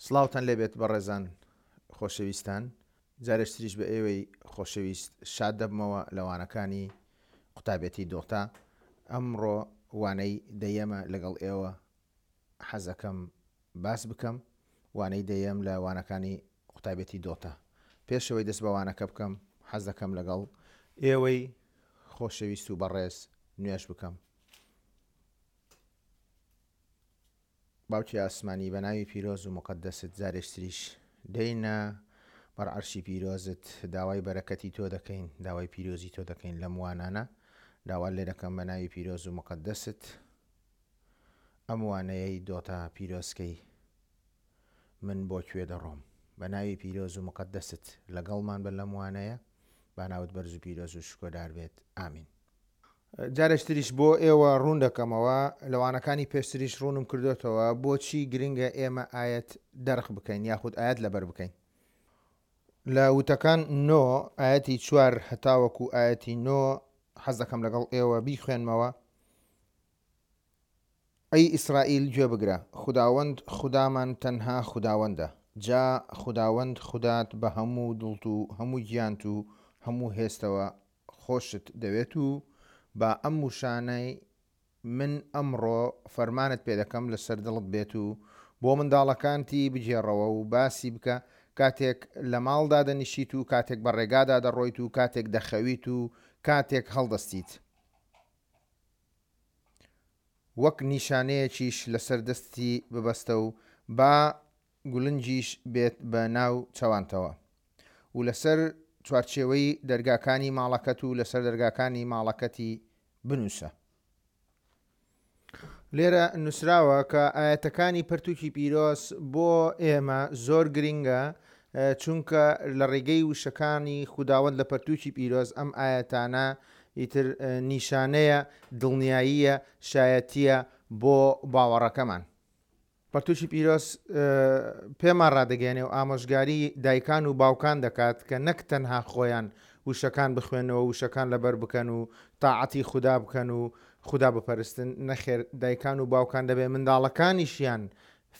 سڵاوتان لێبێت بەڕێزان خۆشەویستان جارێکتریش بە ئێوەی خۆشەویست شاد دەبمەوە لە وانەکانی قوتابێتی دۆتا ئەمڕۆ وانەی دەیەمە لەگەڵ ئێوە حەزەکەم باس بکەم وانەی دەیەم لە وانەکانی قوتابێتی دۆتا پێشەوەی دەست بە وانەکە بکەم حەز دەکەم لەگەڵ ئێوەی خۆشەویست و بەڕێز نوێژ بکەم. باوکی ئاسمانی بە ناوی پیرۆز و موقەدەست جارێکتریش دێینە بەر عەرشی پیرۆزت داوای بەرەکەتی تۆ دەکەین داوای پیرۆزی تۆ دەکەین لەم وانانە داوات لێ دەکەم بە ناوی پیرۆز و موقەدەست ئەم وانەیەی دۆتا پیرۆزکەی من بۆ کوێ دەڕۆم بە ناوی پیرۆز و موقەدەست لەگەڵمان بە لەم وانەیە با ناوت بەرز و پیرۆز و شکۆدار بێت ئامین. جارێکتریش بۆ ئێوە ڕوون دەکەمەوە، لە وانەکانی پێشتریش ڕوونم کردۆتەوە بۆچی گرنگە ئێمە ئایەت دەرخ بکەین یاخود ئایەت لەبەر بکەین. لە وتەکان نۆ ئایەتی چوار هەتاوەکو ئایەتی نۆ حەز دەکەم لەگەڵ ئێوە بیخوێنمەوە. ئەی ئیسرائیل گوێ بگرە، خوداوەند خودامان تەنها خوداوەندە، جا خوداوەند خودات بە هەموو دڵت و هەموو گیانت و هەموو هێزتەوە خۆشت دەوێت و با ئەم وشانەی من ئەمڕۆ فەرمانت پێ دەکەم لەسەر دڵت بێت و بۆ منداڵەکانتی بگێڕەوە و باسی بکە کاتێک لە ماڵ دادەنیشیت و کاتێک بە ڕێگادا دەڕۆیت و کاتێک دەخەویت و کاتێک هەڵدەستیت. وەک نیشانەیەکیش لەسەر دەستی ببەستە و با گولنجیش بێت بە ناو چەوانتەوە و لەسەر چوارچێوەی دەرگاکانی ماڵەکەت و لەسەر دەرگاکانی ماڵەکەتی بنووسە. لێرە نووسراوە کە ئایەتەکانی پەرتووکی پیرۆز بۆ ئێمە زۆر گرینگە چونکە لە ڕێگەی وشەکانی خوداوەند لە پەرتووکی پیرۆز ئەم ئایەتانە ئیتر نیشانەیە، دڵنیاییە، شایەتییە بۆ باوەڕەکەمان. پەرتووکی پیرۆز پێمان ڕادەگەیەنێ و ئامۆژگاری دایکان و باوکان دەکات کە نەک تەنها خۆیان وشەکان بخوێنەوە وشەکان لەبەر بکەن و تاعەتی خودا بکەن و خودا بپەرستن، نەخێر دایکان و باوکان دەبێ منداڵەکانیشیان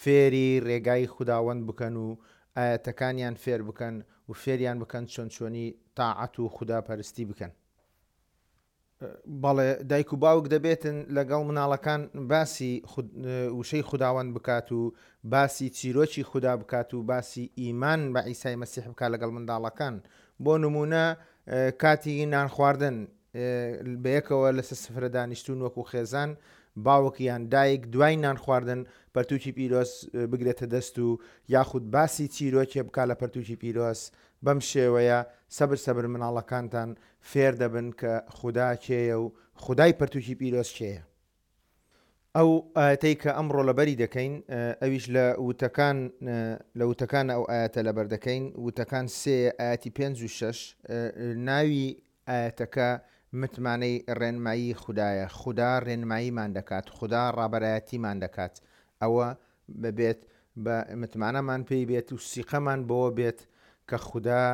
فێری ڕێگای خوداوەند بکەن و ئایەتەکانیان فێر بکەن و فێریان بکەن چۆن چۆنی تاعەت و خودا پەرستی بکەن. بەڵێ دایک و باوک دەبێتن لەگەڵ مناڵەکان باسی وشەی خوداوەند بکات و باسی چیرۆکی خودا بکات و باسی ئیمان بە عیسای مەسیح بکات لەگەڵ منداڵەکان بۆ نمونە کاتی نان خواردن بەیەکەوە لەسەر سفرە دانیشتون وەکو خێزان باوک یان دایک دوای نان خواردن پەرتوکی پیرۆز بگرێتە دەست و یاخود باسی چیرۆکێ بکا لە پەرتوکی پیرۆز بەم شێوەیە سەبر سەبر مناڵەکانتان فێر دەبن کە خودا کێیە و خودای پەرتوکی پیرۆز کێیە. ئەو ئایەتەی کە ئەمڕۆ لەبەری دەکەین ئەویش لە وتەکان لە وتەکان ئەو ئایەتە لەبەر دەکەین وتەکان سێ ئایەتی پێنج و شەش ناوی ئایەتەکە متمانەی ڕێنمایی خودایە خودا ڕێنماییمان دەکات خودا ڕابەرایەتیمان دەکات ئەوە ببێت بە متمانەمان پێی بێت و سیقەمان بەوە بێت کە خودا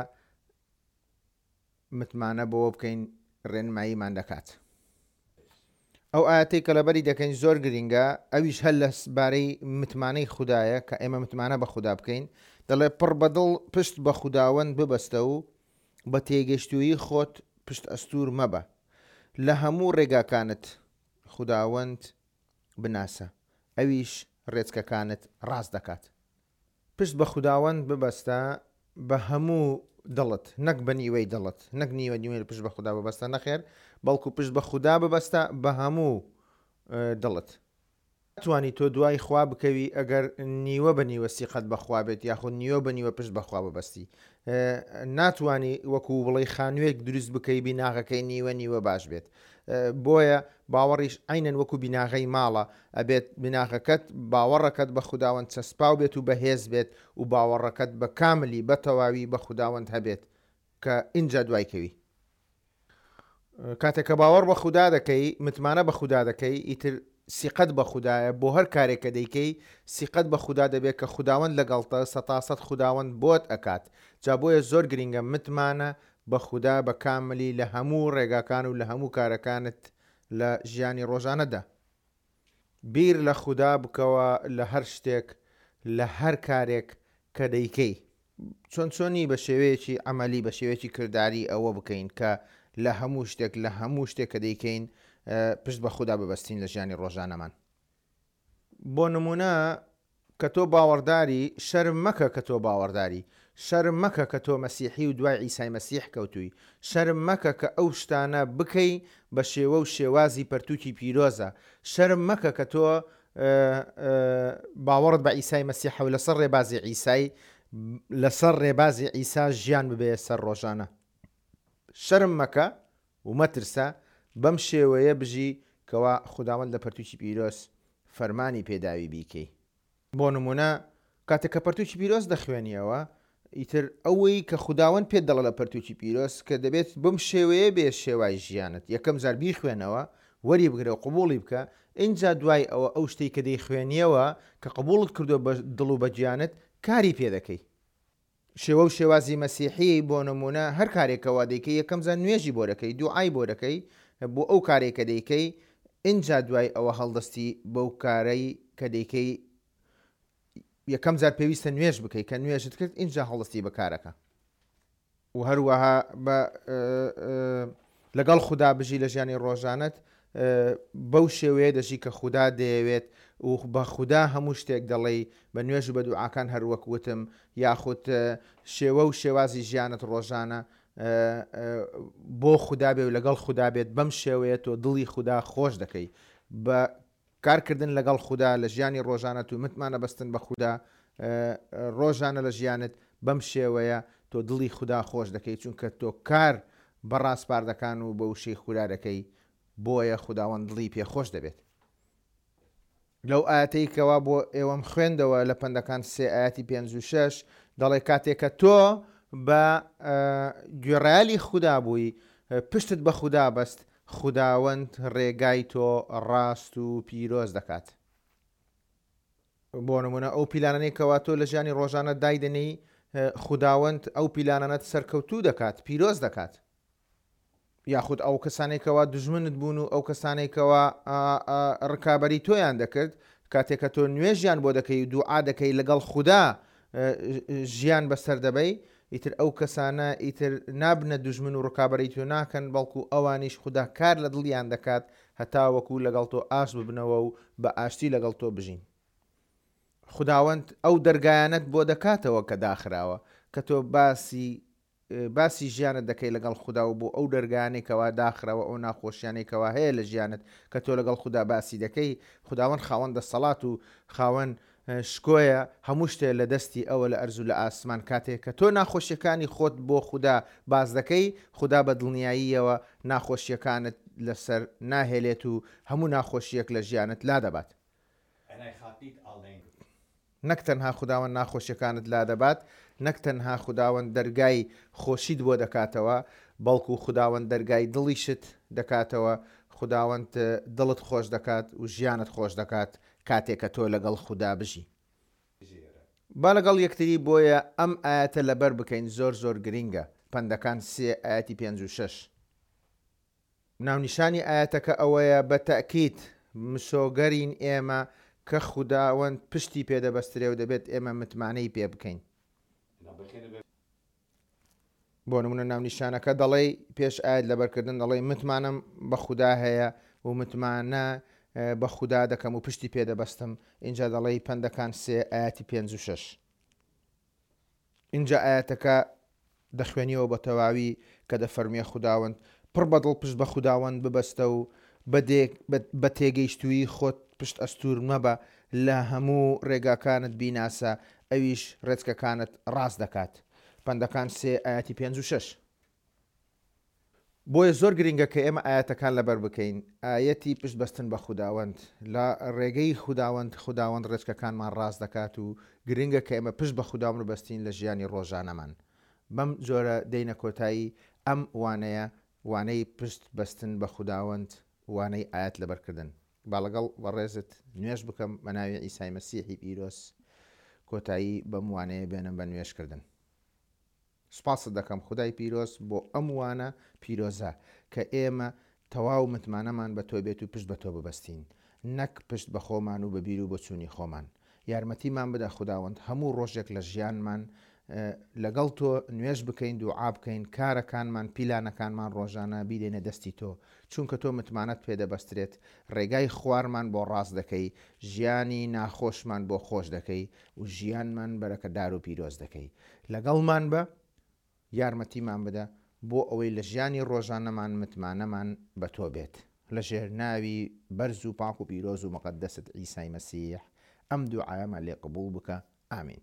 متمانە بەوە بکەین ڕێنماییمان دەکات. ئەو ئایەتەی کە لەبەری دەکەین زۆر گرینگە، ئەویش هەر لە بارەی متمانەی خودایە کە ئێمە متمانە بە خودا بکەین، دەڵێ پڕ بە دڵ پشت بە خوداوەند ببەستە و بە تێگەشتوویی خۆت پشت ئەستوور مەبە. لە هەموو ڕێگاکانت خوداوەند بناسە، ئەویش ڕێچکەکانت ڕاست دەکات. پشت بە خوداوەند ببەستە بە هەموو دڵت، نەک بە نیوەی دڵت، نەک نیوە نیوەی پشت بە خودا ببەستە، نەخێر، بەڵکو پشت بە خودا ببەستە بە هەموو دڵت. ناتوانی تۆ دوای خوا بکەوی ئەگەر نیوە بە نیوە سیقەت بە خوا بێت یاخود نیوە بە نیوە پشت بە خوا ببەستی. ناتوانی وەکو بڵێی خانوویەک دروست بکەی بیناغەکەی نیوە نیوە باش بێت. بۆیە باوەڕیش عەینەن وەکو بیناغەی ماڵە، ئەبێت بیناغەکەت باوەڕەکەت بە خوداوەند چەسپاو بێت و بەهێز بێت و باوەڕەکەت بە کاملی بە تەواوی بە خوداوەند هەبێت کە ئینجا دوای کەوی. کاتێک کە باوەڕ بە خودا دەکەی متمانە بە خودا دەکەی ئیتر سیقەت بە خودایە بۆ هەر کارێک کە دەیکەی سیقەت بە خودا دەبێت کە خوداوەند لەگەڵتە سەتاسەد خوداوەند بۆت ئەکات جا بۆیە زۆر گرینگە متمانە بە خودا بە کاملی لە هەموو ڕێگاکان و لە هەموو کارەکانت لە ژیانی ڕۆژانەدا. بیر لە خودا بکەوە لە هەر شتێک لە هەر کارێک. کە دەیکەی. چۆن چۆنی بە شێوەیەکی عەمەلی بە شێوەیەکی کرداری ئەوە بکەین کە لە هەموو شتێک لە هەموو شتێک کە دەیکەین پشت بە خودا ببەستین لە ژیانی ڕۆژانەمان. بۆ نموونە کە تۆ باوەڕداری شەرم مەکە کە تۆ باوەڕداری، شەرم مەکە کە تۆ مەسیحی و دوای عیسای مەسیح کەوتووی، شەرم مەکە کە ئەو شتانە بکەی بە شێوە و شێوازی پەرتووکی پیرۆزە، شەرم مەکە کە تۆ باوەڕت بە عیسای مەسیحە و لەسەر ڕێبازی عیسای لەسەر ڕێبازی عیسا ژیان ببەیە سەر ڕۆژانە. شەرم مەکە و مەترسە، بەم شێوەیە بژی کەوا خوداوەند لە پەرتووکی پیرۆز فەرمانی پێداوی بیکەی. بۆ نموونە کاتێک کە پەرتووکی پیرۆز دەخوێنیەوە، ئیتر ئەوەی کە خوداوەند پێت دەڵێ لە پەرتووکی پیرۆز کە دەبێت بەم شێوەیە بێ شێوای ژیانت، یەکەم جار بیخوێنەوە، وەری بگرە و قبوڵی بکە، ئینجا دوای ئەوە ئەو شتەی کە دەیخوێنیەوە کە قبوڵت کردووە بە دڵ و بە گیانت، کاری پێ دەکەی. شێوە و شێوازی مەسیحی، بۆ نموونە هەر کارێک کەوا دەیکەی یەکەم جار نوێژی بۆ دەکەی، دوعای بۆ دەکەی بۆ ئەو کارەی کە دەیکەی، ئینجا دوای ئەوە هەڵدەستی بەو کارەی کە دەیکەی، یەکەم جار پێویستە نوێژ بکەی، کە نوێژت کرد ئینجا هەڵدەستی بە کارەکە. و هەروەها بە لەگەڵ خودا بژی لە ژیانی ڕۆژانەت بەو شێوەیە دەژی کە خودا دەیەوێت و بە خودا هەموو شتێک دەڵێی بە نوێژ و بە دوعاکان هەروەک وتم یاخود شێوە و شێوازی ژیانت ڕۆژانە بۆ خودا بێ و لەگەڵ خودا بێت بەم شێوەیە تۆ دڵی خودا خۆش دەکەی بە کارکردن لەگەڵ خودا لە ژیانی ڕۆژانەت و متمانە بەستن بە خودا ڕۆژانە لە ژیانت بەم شێوەیە تۆ دڵی خودا خۆش دەکەی چونکە تۆ کار بە ڕاسپاردەکان و بە وشەی خودا دەکەی بۆیە خوداوەند دڵی پێ خۆش دەبێت. لەو ئایەتەی کەوا بۆ ئێوەم خوێندەوە لە پەندەکان سێ ئایەتی پێنج و شەش دەڵێ کاتێک کە تۆ بە گوێڕایەلی خودا بووی پشتت بە خودا بەست خوداوەند ڕێگای تۆ ڕاست و پیرۆز دەکات. بۆ نمونە ئەو پیلانانەی کەوا تۆ لە ژیانی ڕۆژانە دایدەنێی خوداوەند ئەو پیلانانەت سەرکەوتوو دەکات، پیرۆز دەکات. یاخود ئەو کەسانەی کەوا دوژمنت بوون و ئەو کەسانەی کەوا ڕکابەری تۆیان دەکرد کاتێک کە تۆ نوێژیان بۆ دەکەی و دوعا دەکەی لەگەڵ خودا ژیان بەسەر دەبەی ئیتر ئەو کەسانە ئیتر نابنە دوژمن و ڕکابەری تۆ ناکەن بەڵکو ئەوانیش خودا کار لە دڵیان دەکات هەتاوەکو لەگەڵ تۆ ئاشت ببنەوە و بە ئاشتی لەگەڵ تۆ بژین. خوداوەند ئەو دەرگایانەت بۆ دەکاتەوە کە داخراوە کە تۆ باسی باسی ژیانت دەکەی لەگەڵ خودا و بۆ ئەو دەرگایانەی کەوا داخراوە ئەو ناخۆشیانەی کەوا هەیە لە ژیانت کە تۆ لەگەڵ خودا باسی دەکەی خوداوەند خاوەن دەسەڵات و خاوەن شکۆیە هەموو شتێ لە دەستی ئەوە لە ئەرز و لە ئاسمان کاتێ کە تۆ ناخۆشیەکانی خۆت بۆ خودا باس دەکەی خودا بە دڵنیاییەوە ناخۆشیەکانت لەسەر ناهێلێت و هەموو ناخۆشیەک لە ژیانت لادەبات. En hij gaat niet alleen. نەک تەنها خوداوەند ناخۆشیەکانت لادەبات، نەک تەنها خوداوەند دەرگای خۆشیت بۆ دەکاتەوە، بەڵکو خوداوەند دەرگای دڵیشت دەکاتەوە، خوداوەند دڵت خۆش دەکات و ژیانت خۆش دەکات کاتێک کە تۆ لەگەڵ خودا بژی. با لەگەڵ یەکتری بۆیە ئەم ئایەتە لەبەر بکەین زۆر زۆر گرینگە، پەندەکان سێ ئایەتی پێنج و شەش. ناونیشانی ئایەتەکە ئەوەیە بە تەئکید مسۆگەرین ئێمە کە خوداوەند پشتی پێ دەبەسترێ و دەبێت ئێمە متمانەی پێ بکەین. بۆ نمونە ناونیشانەکە دەڵێی پێش ئایەت لەبەرکردن دەڵێی متمانەم بە خودا هەیە و متمانە بە خودا دەکەم و پشتی پێ دەبەستم ئینجا دەڵێی پەندەکان سێ ئایەتی پێنج و شەش. ئینجا ئایەتەکە دەخوێنیەوە بە تەواوی کە دەفەرموێ خوداوەند پڕ بە دڵ پشت بە خوداوەند ببەستە و بە تێگەیشتوویی خۆت پشت ئەستوور مەبە لە هەموو ڕێگاکانت بیناسە ئەویش ڕێچکەکانت ڕاست دەکات پەندەکان سێ ئایەتی پێنج و شەش. بۆیە زۆر گرنگە کە ئێمە ئایەتەکان لەبەر بکەین، ئایەتی پشت بەستن بە خوداوەند، لە ڕێگەی خوداوەند، خوداوەند ڕێچکەکانمان ڕاست دەکات و گرنگە کە ئێمە پشت بە خوداوەند ببەستین لە ژیانی ڕۆژانەمان. بەم جۆرە دێینە کۆتایی ئەم وانەیە، وانەی پشت بەستن بە خوداوەند، وانەی ئایەت لەبەرکردن. با لەگەڵ بەڕێزت نوێژ بکەم بە ناوی عیسای مەسیحی پیرۆز کۆتایی بەم وانەیە بێنم بە نوێژکردن. سوپاست دەکەم خودای پیرۆز بۆ ئەم وانە پیرۆزە کە ئێمە تەواو متمانەمان بە تۆ بێت و پشت بە تۆ ببەستین نەک پشت بە خۆمان و بە بیر و بۆچوونی خۆمان. یارمەتیمان بدە خوداوەند هەموو ڕۆژێک لە ژیانمان لەگەڵ تۆ نوێژ بکەین دوعا بکەین کارەکانمان پیلانەکانمان ڕۆژانە بیدەینە دەستی تۆ چونکە تۆ متمانەت پێ دەبەسترێت ڕێگای خوارمان بۆ ڕاست دەکەی ژیانی ناخۆشمان بۆ خۆش دەکەی و ژیانمان بەرەکەدار و پیرۆز دەکەی لەگەڵمان بە یارمەتیمان بدە بۆ ئەوەی لە ژیانی ڕۆژانەمان متمانەمان بە تۆ بێت لە ژێر ناوی بەرز و پاک و پیرۆز و مقەدەست عیسای مەسیح ئەم دوعایەمان لێ قبوڵ بکە ئامین.